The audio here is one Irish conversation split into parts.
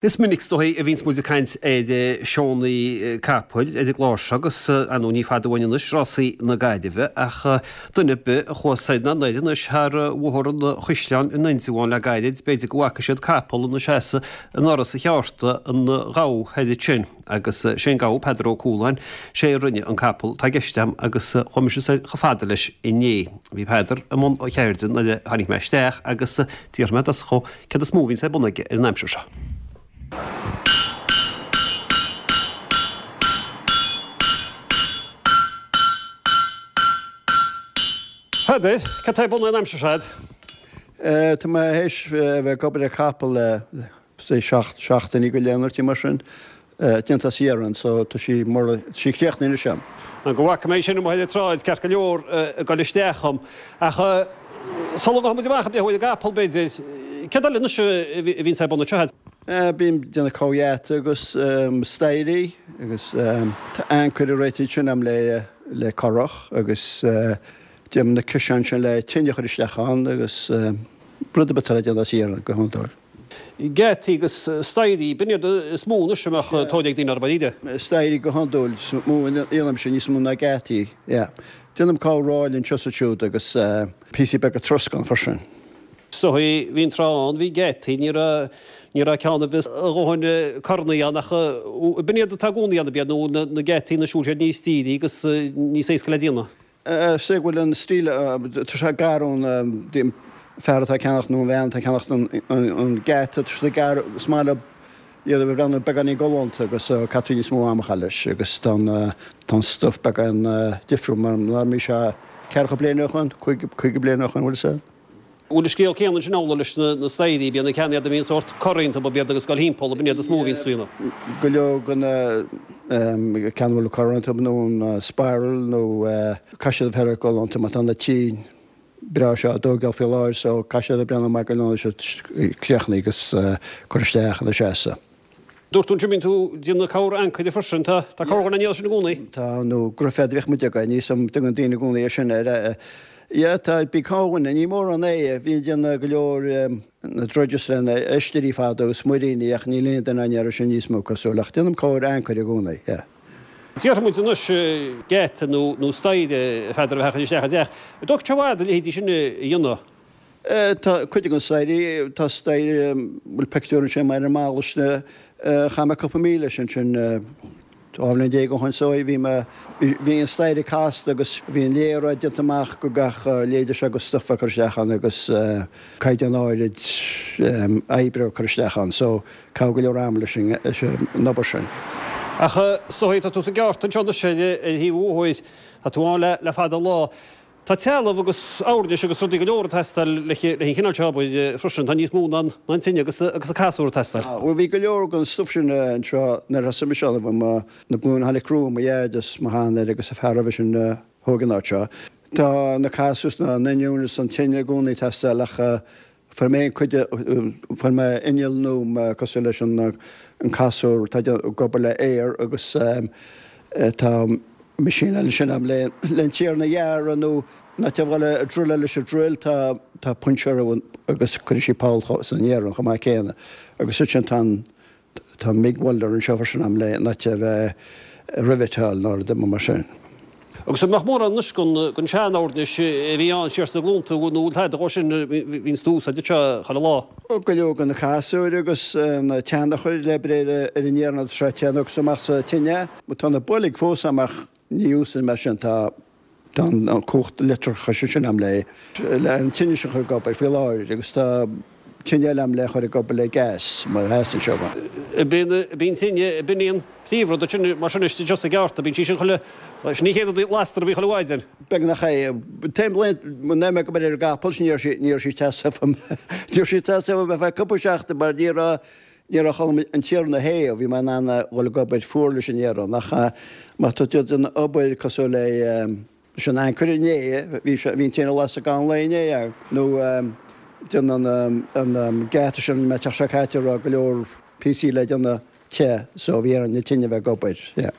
Is minic is dóigh a bhíonns muid ag caint ar seónna capaill ar an gclár seo agus, ar ndóigh, ní fada uainn anois rásaí na Gaillimhe ach duine ar bith a chuaigh soir ná anoir anois thar Bhóthar an Chaisleáin in Indreabhán le gairid, b'fhéidir go bhfaca siad capall ina seasamh i ndoras an cheárta an ghabha thoir ansin agus sé an gabha Peadar Ó Cualáin, sé a rinne an capall atá i gceist agam agus chuaigh mise soir chomh fada leis inné. Bhí Peadar i mbun a cheirde nuair a tháinig mé isteach agus d'fhiafraigh mé de chomh Céard is mó a bhíonns ar bun aige ar an aimsir seo? A Pheadair, cad tá ar bun an aimsir seo a'd? Tá mé théis a bheith ag obair ar chapall le say seachtainí go leith nó rud mar sin. Déanta as iarann so tá sí mar tá sí críochnaithe anois a'm. Go bhfaca mé sin amuigh ar an tsráid ceart go leor ag dul isteach dhom. Ach sula ngabhfaidh muid amach ag breathnú ar an gcapall b'fhéidir, céard eile anois a bhíonns ar bun anseo a'd? Bím ag déanamh corrgheata agus staighrí agus tá ancaire réitithe ansin a'm le le currach agus déanaim na ciseáin sin le tine a chur isteach ann agus rud ar bith atá le déanamh as iarann go hiondúil. Geataí agus staighrí, b'in iad is mó anois a mbeadh tóir ag daoine orthu, b'fhéidir. Staighrí go hiondúil, is mó a dhéanaimse, níos mó ná geataí, yeah. Déanaim corr-ráille anseo is ansiúd agus píosaí beaga troscán freisin. Is dóigh, bhí an tráth ann, bhí geataí, ní raibh, ní raibh ceann ar bith a dhóthain cornaí ann ach b'in iad atá i gcónaí ann, ab iad, nó na geataí anois, bhfuil siad níos dírí agus níos éasca le déanamh. Is é go bhfuil an stíl, tá sé gar ón fear atá ag ceannacht nó an bhean atá ag ceannacht an geata, tá sé gar, is maith leo iad a bheith breathnú beagáinín galánta agus caithfidh tú níos mó ama a chaitheamh leis agus tá an stuif beagán difriúil mar ná bhí sé ceathracha bliain ó shoin, 50 bliain ó shoin, bhfuil fhios a'd. Bhfuil an scéal céanna ansin amhlaidh leis na staighrí, bíonn na ceanna iad a mbíonn sórt cor iontu, ab iad agus ag dul thimpeall, ab in iad is mó a bhíonns daoine. Go leor de na ceanna a bhfuil cor iontu nó an spiral nó caithfidh siad a bheith galánta mar tá na tithe breá seo á dtógáil faoi láthair so caithfidh siad a bheith breathnú maith go leor siad críochnaithe agus cur isteach ina seasamh. Dúirt tú ansin bíonn tú ag déanamh corr-ancaire freisin, tá corrdhuine á ndéanamh sin i gcónaí? Tá, nó gruiféad a bhíodh muid againn, níos um dtugann daoine i gcónaí é sin air. Yeah, tá, bíonn corrdhuine, ní mórán é, bhínn ag déanamh go leor na drudges le na oistírí fadó agus muiríní ach níl aon duine á ndéanamh sin níos mó cosúil, ach déanaim corr-ancaire i gcónaí, yeah. Déarfaidh muid anois geata nó nó staighre a Pheadair a bheith á chur isteach i dteach. An dtógfaidh sé i bhfad a leithéidí sin a dhéanamh? Tá cuid de na staighrí, tá staighre, bhfuil pictiúr ansin ar an mballa sin, chaith mé cúpla mí leis ansin, 12 bhliain ó shoin so bhí mé, bhí an staighre casta agus bhí an léaráid déanta amach go gach léide seo agus stuif á cur isteach ann agus caighdeán áirid oibre á cur isteach ann so caitheadh go leor ama leis an obair sin. Ach is dóigh, tá tú sa gceárta anseo anois ar thaobh an bhóthair, tá tú ann le fada an lá. Tá trealamh agus oirnis agus rudaí go leor ag teastáil leis an chineál seo obair freisin. Tá níos mó ná an tine agus an casúr ag teastáil. Bhuel, bhí go leor den stuif sin anseo nuair a thosaigh mise ann, bhí mo, na glúin a tháinig romham, mo dhaid is mo sheanathair agus an fear roimhe sin a thóg an áit seo. Tá na casúir is na n-oinniúin is an tine i gcónaí ag teastáil ach Fuair mé cuid de, fuair mé inneall nua cosúil leis an casúr atá ag obair le aer agus tá meaisín eile ansin agam le an t-iarann a ghearradh nó in áit a bhfuil ag druileáil leis an druil tá tá punseoir agus cuirfidh sí poll san iarann chomh maith céanna agus ansin tá an Tá MIG welder anseo freisin agam le in áit a bheith ag rivetáil nó rud mar sin. Agus an mbeadh mórán anois den sean-oirnis a bhí ann siar sna glúnta nó bhfuil tada dhó sin a bhíonns tú a úsáid anseo chuile lá? Go leor de na casúir agus na teannachair le obair ar an iarann agus seo téann agus amach sa tine. Tá na boilg fós agam ach ní úsáidim é sin tá Tá an cumhacht leictreachais ansin agam le an tine sin a chur ag obair faoi láthair agus tá tine eile agam le chur ag obair le gas má theastaíonn sé uaim. Bíonn tine, b'in í an príomhrud ansin mar sin istigh anseo sa gceárta, bíonn sí sin chuile, sin í chéad rud a lastar a bhí chuile mhaidin. Beagnach é. Taom lae, nuair a bhí mé ag obair ar an gcapall sin ní raibh sí, ní raibh sí ag teastáil uaim, ní raibh sí ag teastáil uaim ar feadh cúpla seachtain mar ní raibh, Ní raibh orm an t-iarann a théamh, bhí mé in ann a dhul ag obair fuar leis an iarann, ach má tá tú ag déanamh obair cosúil le leis an ancaire inné, bhí sé, bhí an tine lasta gan lae inné, nó déanamh an an geata sin an teach seo caite a raibh go leor píosaí le déanamh te so bhí ar an tine a bheith ag obair, yeah.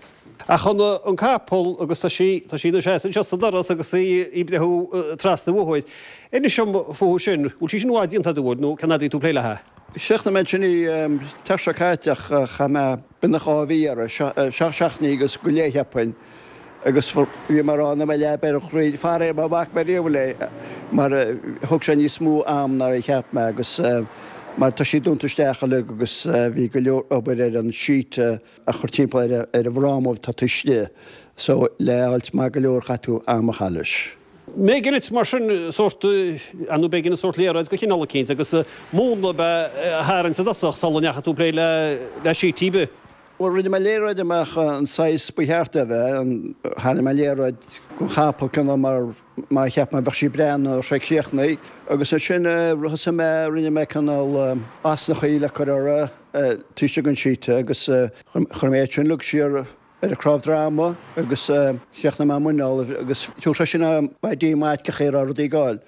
Ach an an capall agus tá sí, tá sí ina seasamh anseo sa doras agus í ag breathnú trasna an bhóthair. Inis dom fúithi sin, bhfuil sí sin i bhfad déanta agat, an bhfuil, nó cén fhad a bhí tú ag plé léi? Chríochnaigh mé ansin í an tseachtain seo caite ach chaith mé beagnach 2 mhí uirthi, 7 seachtainí agus go leith cheapfainn, agus bhí mé ag rá nach mbeidh leaba ar an chroí, faraor mar bhac mé riamh léi mar thóg sé níos mó am ná a cheap mé agus mar tá sí dúnta isteach uilig agus bhí go leor obair ar an sheet a chur timpeall ar an bhfráma atá taobh istigh so le fháilt maith go leor chaith tú am a chaith leis. B'éigean duit mar sin sórt, ar ndóigh b'éigean sórt léaráid de chineál eicínt agus múnla ab ea a tharraingt i dtosach sula ndeachaigh tú ag plé le sheet ar bith. Bhuel, rinne mé léaráid amach an saghas ba cheart é a bheith, tharraing mé léaráid den chapall cineál mar mar a cheap mé bheadh sí ag breathnú nuair a bheadh sé críochnaithe agus ansin thosaigh mé, rinne mé cineál osnachaí le cur orthu taobh istigh den sheet agus chuir mé iad sin uilig siar ar an cnámh droma agus chríochnaigh mé an muineál agus thug sé sin idea maith cén chaoi a raibh rudaí ag gabháil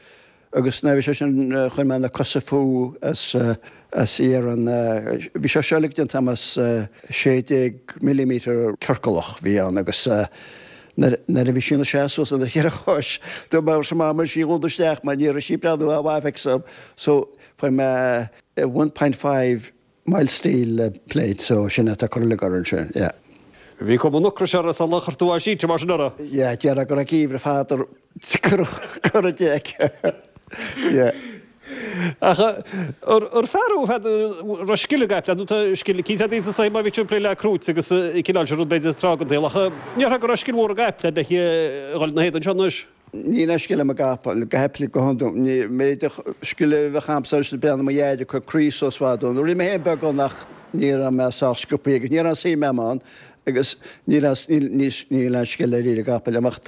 agus nuair a bhí sé sin chuir mé na cosa fúthu as as iarann bhí sé seo uilig déanta agam as 16 millimetre ciorcalach bhí ann agus nuair nuair a bhí sí ina seasamh suas ar a cheithre chois dúirt mé leis Mama í a dhúnadh isteach mar ní raibh sí ag breathnú mhaith feicthe so fuair mé 1.5 Mild steel plate so sin atá curtha uilig orthu ansin, yeah. Bhí cuma an ocrais orthu sular chuir tú á sínte mar sin orthu. Yeah, déarfá go raibh geimhreadh fada curtha di aici. Yeah. Ach ar fear thú, raibh scil agat, nó tá scil cinnte agat iontu má bhí tú ag plé le crúit agus an cineál sin rud b'fhéidir tráth den tsaol ach ní déarfá go raibh scil mhór agat le bheith ag dhul ina héadan seo anois. Níl aon scil a'm i gcapaill, go haipli go hiondúil. Ní méid scil a bheadh a'msa is breathnú mo dhaid ag cur croí suas fad dó. Rinne mé féin beagán ach ní raibh mé sách sciobthaí agus ní raibh aon suim a'm ann agus níl aon níl aon scil dáiríre i gcapaill a'm ach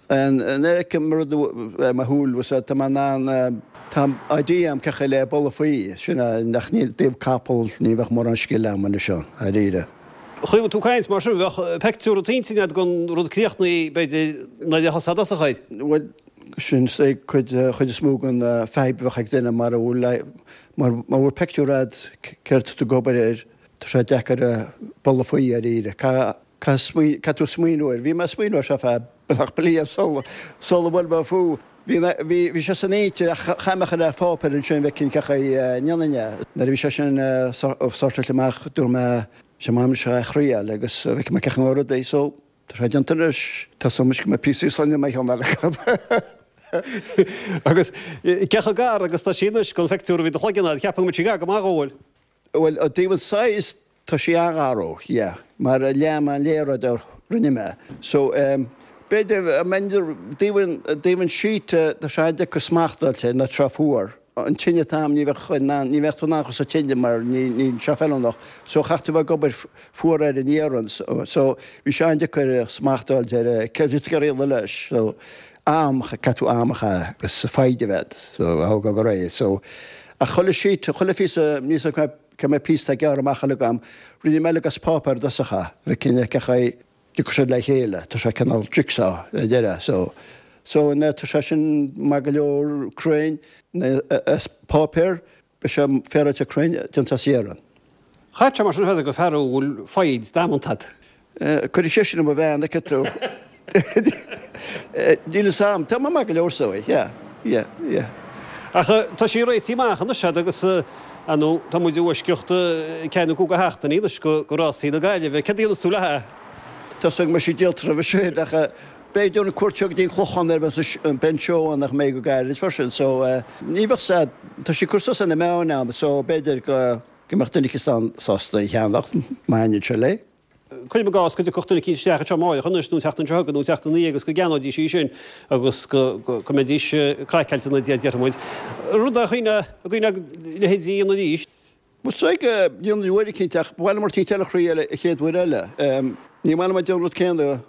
nuair a fheicim rud ar mo shúil tá mé in ann tá idea a'm cén chaoi le bualadh faoi sin é ach ní i dtaobh capall ní bheadh mórán scil a'm anois ann dáiríre. Chaoi tú ag caint mar sin, bheadh peictiúr i d'intinn agat den rud críochnaithe, b'fhéidir, nuair a thosófá i dtosach air. Bhuel, sin é cuid, chuid is mó den fadhb a bheadh ag duine mara bhfuil, mara bhfuil peictiúr a'd céard tá tú ag obair air, tá sé deacair bualadh faoi dháiríre. Caithfidh tú smaoineamh air. Bhí mé ag smaoineamh air seo feadh beagnach bliain sula, sula bhfuair mé fúthu. Bhí, bhí, bhí sé san intinn ach chaith mé a chur ar pháipéar ansin bheith cinnte cén chaoi a ndéanfainn é. Nuair a bhí sé sin sortáilte amach dúirt mé, sé m'am seo a thriail agus feicfidh mé cén chaoi a ngabhfaidh rudaí so tá sé déanta anois. Tá súil agam go mbeidh píosaí soinne mar cheann eile acu. Agus cé chomh gar agus tá sí anois don phictiúr a bhí i do chloigeann agat, cheapfainn go mbeadh sí gar go maith dhó, bhfuil? Bhuel, i dtaobh an size, tá sí an-ghar dó, yeah, mar lean mé an léaráid a rinne mé. So, em, b'fhéidir, I mean, i dtaobh an, i dtaobh an sheet, tá sé an-deacair smacht a fháilt air, nuair atá sé fuar. An tine atá ann, ní bheadh in ann, ní bheadh tú in ann chur sa tine mar ní, níl sé feiliúnach. So, chaithfeadh tú bheith ag obair fuar ar an iarann. So, so, bhí sé an-deacair smacht a fháilt ar céard a bhí tú ag iarraidh leis. So, am, caithfidh tú am a chaitheamh agus foighid a bheith agat, so, a thógáil go réidh. So, ach chuile sheet, chuile phíosa, níl 's agam cé mhéad píosa atá gearrtha amach uilig agam, rinne mé uilig as páipéar i dtosach é, bheith cinnte cén chaoi a dtiocfadh siad le chéile, tá sé cineál jigsaw ar deireadh, so, so, nuair atá sé sin maith go leor cruinn, as páipéar, Beidh sé féaráilte cruinn déanta as iarann. Chaithfeadh sé mar sin a bheith gur fear thú a bhfuil foighid damanta agat. Cuir an cheist sin ar mo bhean, an bhfeiceann tú. Níl fhios a'm. Tá mé maith go leor so, yeah, yeah, yeah. Ach tá sí réitithe amach anois agat agus, ar ndóigh, tá muid i bhfoisceacht ceathair nó cúig de sheachtainí anois go rásaí na Gaillimhe. Céard a dhéanfas tú léi? Tá 's agam go mbeidh sí díolta roimhe sin ach B'fhéidir an cuairt seo go dtí an Clochán ar bheidh an seó ann nach mbeidh go gairid freisin so ní bheadh sad, tá sí curtha suas ar na meáin agam so b'fhéidir go go mbeadh duine eicínt sásta í a cheannacht má thaitníonn sé léi. Cuirim i gcás go dtiocfadh duine eicínt isteach anseo amáireach anois nó an tseachtain seo chugainn nó an tseachtain ina dhiaidh agus go gceannóidís í sin agus go go mbeidís craiceáilte ina diaidh déarfaidh muid. Rud a chuimhneodh a gcuimhneodh leithéidí a dhéanamh arís. Bhuel is dóigh go ndéanfainn uair eicínt ach ba mhaith liom rud eicínt eile a thriail an chéad uair eile. Ní maith liom ag déanamh an rud céanna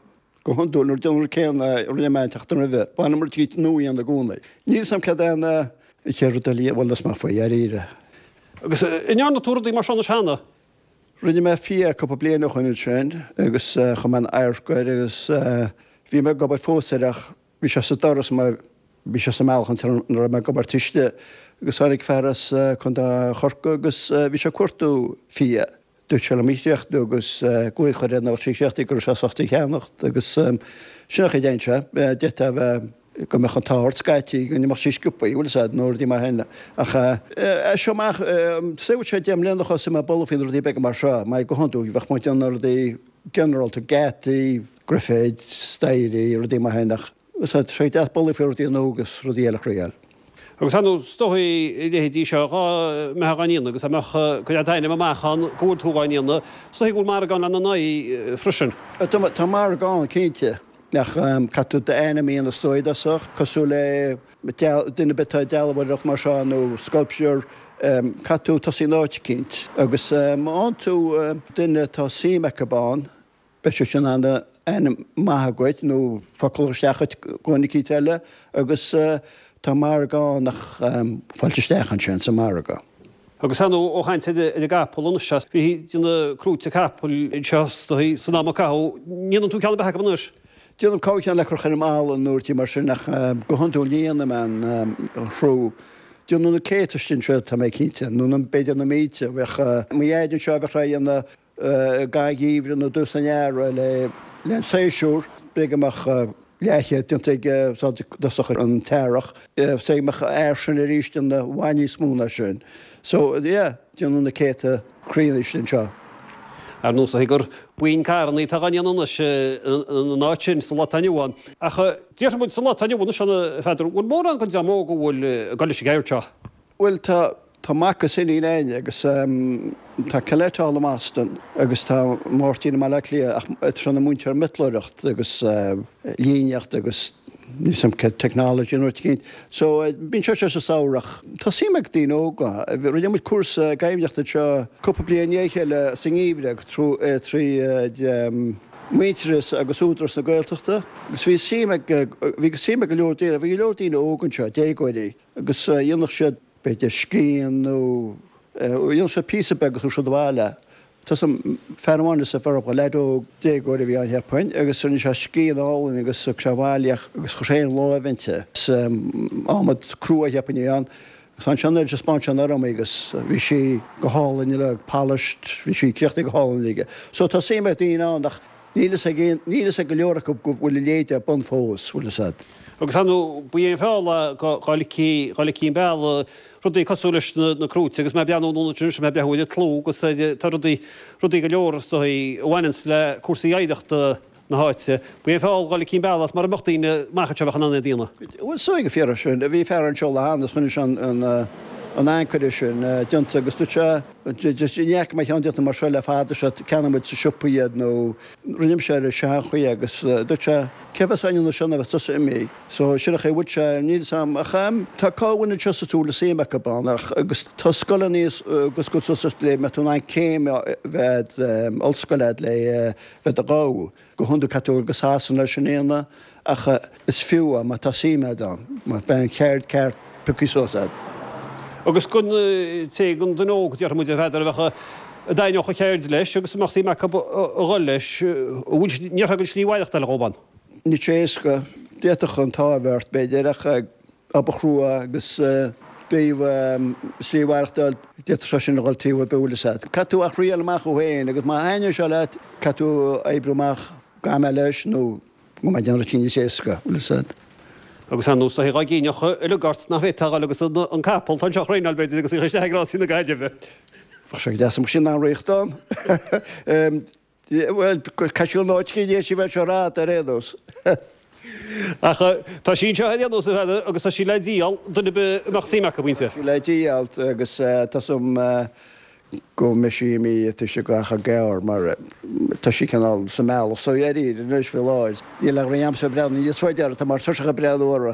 Go hiondúil, nuair a déanaim an rud céanna a rinne mé an tseachtain roimhe, ba mhaith liom rud eicínt nua a dhéanamh i gcónaí. Níl 'fhios a'm céard é an chéad rud eile, bhuel, is maith faoi, dháiríre. Agus an ndearna tú rudaí mar seo anois cheana? Rinne mé fia cúpla bliain ó shoin ansin agus chuir mé an adharc air agus bhí mé ag obair fós air ach bhí sé sa doras mar bhí sé sa mbealach an tráth a raibh mé ag obair taobh istigh agus tháinig fear as Contae Chorcaí agus bhí sé ag cuartú fia. Dúirt sé liom í a chríochnú agus glaoch air nuair a bheadh sí críochnaithe go raibh sé sásta í a cheannacht agus sin an chaoi a dtéann sé. D'fhéadfá a bheith. go mbeadh an t-ádh ort scaití, go n-imeodh sí sciobthaí, bhfuil 'fhios a'd, nó rudaí mar sin. Ach as seo amach, say bhfuil sé 10 mbliana thosaigh mé ag bolladh faoi na rudaí beaga mar seo, mar go hiondúil bheadh muid ag déanamh rudaí ginearálta, geataí, grifid, staighrí, rudaí mar sin ach tá sé deas bolladh faoi rudaí nua agus rudaí eile a thriail. Agus ar ndóigh is dóichí a leithéidí seo dhá mbeifeá dhá ndéanamh agus dá mbeadh go raibh d'ainm amach ann go bhfuil tú dhá ndéanamh, is dóichí go bhfuil margadh ann lena n-aghaidh freisin. Tá margadh ann, cinnte, ach caithfidh tú d'ainm a dhéanamh is dóigh i dtosach, cosúil le duine ar bith atá ag dealbhóireacht mar seo nó sculpture, caithfidh tú tosaí in áit eicínt. Agus má fhaigheann tú duine atá suim acu ann, Beidh sé sin in ann ainm maith agat nó focal isteach dhuit go dhuine eicínt eile agus tá margadh ann ach fáilte isteach ansin sa margadh. Agus ar ndóigh ó chaint ar an gcapall anois, bhí ag déanamh crúite capaill anseo san am a caitheadh, an ndéanann tú ceann ar bith acu anois? Déanaim cúpla ceann le cur ar an mballa nó rudaí mar sin ach go hiondúil ní dhéanaim aon chrú. Déanadh na céadta istigh anseo tá mé cinnte, nó b'fhéidir na mílte. Bheadh mo dhaid anseo bheadh sé a dhéanamh i gcaitheamh an gheimhridh nó dtús an earraigh le an séasúr. B'fhéidir go mbeadh leathchéad déanta aige i dtosach an t-earrach. Say go mbeadh an fear sin arís ag déanamh i bhfad níos mó ná sin. So, yeah, déanadh na céadta criúnna istigh anseo. Ar ndóigh is dóichí gur buíon carrannaí atá dhá ndéanamh anois ina áit sin sa lá atá inniu ann. Ach déarfaidh muid sa lá atá inniu anois ann, a Pheadair, bhfuil mórán den dream óg a bhfuil ag dul leis an gceird seo? Bhuel, tá, tá mac is iníon a'inne agus tá Colette thall i mBoston agus tá Máirtín i mBaile Átha Cliath ach tá sé ina múinteoir miotalóireacht agus líníocht agus níl 's a'm cén technology nó rud eicínt. So bíonn sé seo sa samhradh ach tá suim ag daoine óga. Rinne muid cúrsa gaibhneachta anseo cúpla bliain i ndiaidh a chéile sa ngeimhreadh trí Muintearas agus Údarás na Gaeltachta agus bhí suim ag, bhí suim ag go leor daoine, bhí go leor daoine óga anseo, déagóirí. Agus dhéanfadh siad, b'fhéidir, scian nó dhéanfadh siad píosa beag agus thabharfadh siad abhaile. Tá 's a'm, fear amháin is a fear, leaid óg, déagóir a bhí ann cheapfainn, agus rinne sé scian álainn agus thug sé abhaile í agus chuir sé féin láimh inti. Is adhmad crua cheapfainn a bhí ann. Agus ansin ar thaispeáin sé orm í agus bhí sí go hálainn uilig, polished, bhí sí críochnaithe go hálainn aige. So tá suim ag daoine ann ach níl fhios ag aon, níl fhios ag go leor acu go bhfuil a leithéid ar bun fós, bhfuil fhios a'd. Agus ar ndóigh, ba é an feall dhá ligfí, dhá ligfí an bealach, rudaí cosúil leis na crúite agus mé ag breathnú anonn anois, mé ag breathnú ar an tlú agus ar, tá rudaí, rudaí go leor is dóigh a bhaineanns le cúrsaí oidhreachta na háite. Ba é an feall dhá ligfí an bealach as mura mbeadh daoine amach anseo a bheadh in ann é a dhéanamh. Bhuel, is dóigh go fíor é sin. Bhí fear anseo lá cheana agus choinnigh sé an, an ancaire sin déanta agus dúirt sé, Ní fhaca mé ceann déanta mar seo le fada, seo ceannaíonn muid sa siopa iad nó rinne mise ar an seanchaoi agus dúirt sé, cé bheas á ndéanamh seo ná bheas tusa imithe. So sin an chaoi a bhfuil sé, níl 'fhios a'm ach tá corrdhuine anseo sa tsúil is suim acu ann ach agus tá scoileanna agus go suas le mbeadh tú in ann céim a bheith ollscoile a'd le bheith do ghabh. Go hiondúil caithfidh tú dul go Sasana leis sin a dhéanamh ach is fiú é má tá suim a'd ann, mar beidh an cheird ceart pioctha suas a'd. Agus don té, don duine óg, déarfaidh muid, a Pheadair, a bheadh, a dtaitneodh an cheird leis agus a mbeadh suim acu a dhul leis, an bhfuil, an ndéarfá go bhfuil slí mhaireachtála dhób ann? Níl sé éasca. D'fhéadfadh an t-ádh a bheith ort, b'fhéidir, ach obair chrua agus taobh slí mhaireachtáil, d'fhéadfadh sé sin a dhul taobh ar bith, bhfuil 'fhios a'd. Caithfidh tú a thriail amach thú féin agus má thaitníonn sé leat, caithfidh tú oibriú amach go mbeidh leis nó go mbeidh déanamh rudaí níos éasca, bhfuil 'fhios a'd. Agus ar ndóigh, dá gcinneadh uilig ort nach bhféadfá a dhul agus an capall atá anseo a thraenáil, b'fhéidir, agus a chur isteach ag rásaí na Gaillimhe. Bheadh sé go deas dá mbeadh sí in ann rith ann. Bhuel, caithfidh sí an áit cinn sí bheith seo rad ar aon nós. Ach tá sí anseo ar aon nós, a Pheadair, agus tá sí le díol, duine ar bith a mbeadh suim acu inti. Tá sí le díol agus tá 's a'm go mbeidh sí imithe tá sé go achar gearr mar tá sí cineál sa mbealach so dháiríre anois faoi láthair. Níl ach roinnt aimsire breathnú níos faide orthu, tá mar tuirseach ag breathnú orthu.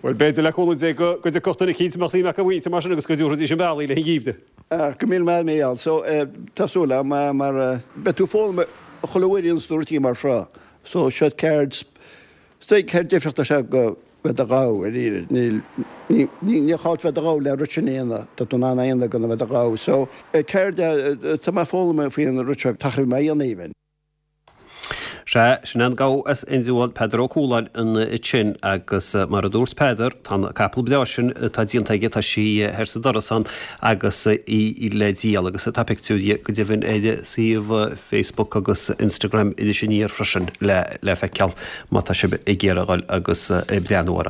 Bhuel, b'fhéidir le cúnamh Dé go dtiocfadh duine eicínt a mbeadh suim acu inti mar sin agus go dtabharfaidís an bealach í le an gheimhreadh. Go míle maith Mícheál. So, tá súil agam mar beidh tú ag foghlaim chuile uair a dhéananns tú rudaí mar seo. So, seo ceird, is dóigh ceird difriúil is ea go bheith do ghabh ar iarraidh. Níl, ní, ní gá duit bheith do ghabh le rud sin a dhéanamh. Tá tú in ann é a dhéanamh gan a bheith do ghabh. So, ceird, tá mé ag foghlaim faoin rud seo, tá mé a dhéanamh even. Sea, sin é an gabha as Indreabhán, Peadar Ó Cualáin ansin agus mar a dúirt Peadar, tá an capall breá sin atá déanta aige, tá sí thoir sa doras ann agus í le díol agus tá pictiúr di go deimhin ar suíomh Facebook agus Instagram Iris Aniar freisin le feiceáil má tá sibh ag iarraidh a dhul agus breathnú orthu.